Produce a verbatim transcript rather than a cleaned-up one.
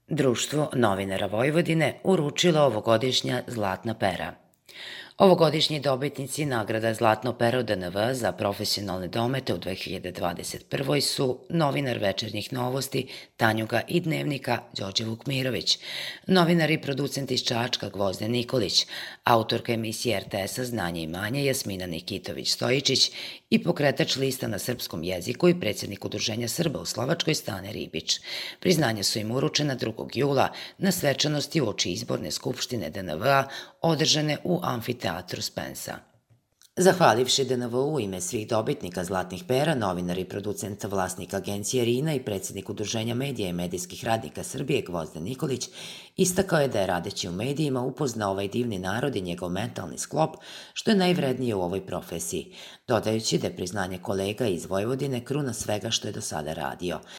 Društvo novinara Vojvodine uručilo ovogodišnja Zlatna pera. Ovogodišnji dobitnici nagrada Zlatno pero D N V za profesionalne domete u dve hiljade dvadeset prvoj. su novinar Večernjih novosti Tanjuga i Dnevnika Đorđe Vukmirović, novinar i producent iz Čačka Gvozden Nikolić, autorka emisije R T S-a Znanje i manje Jasmina Nikitović-Stojičić i pokretač lista na srpskom jeziku i predsjednik Udruženja Srba u Slovačkoj Stane Ribić. Priznanja su im uručena drugog jula na svečanosti uoči izborne skupštine D N V-a održane u amfiteatru Spensa. Zahvalivši D N V u ime svih dobitnika Zlatnih pera, novinar i producent vlasnik agencije RINA i predsjednik Udruženja medija i medijskih radnika Srbije Gvozden Nikolić istakao je da je radeći u medijima upoznao ovaj divni narod i njegov mentalni sklop, što je najvrednije u ovoj profesiji, dodajući da je priznanje kolega iz Vojvodine kruna svega što je do sada radio.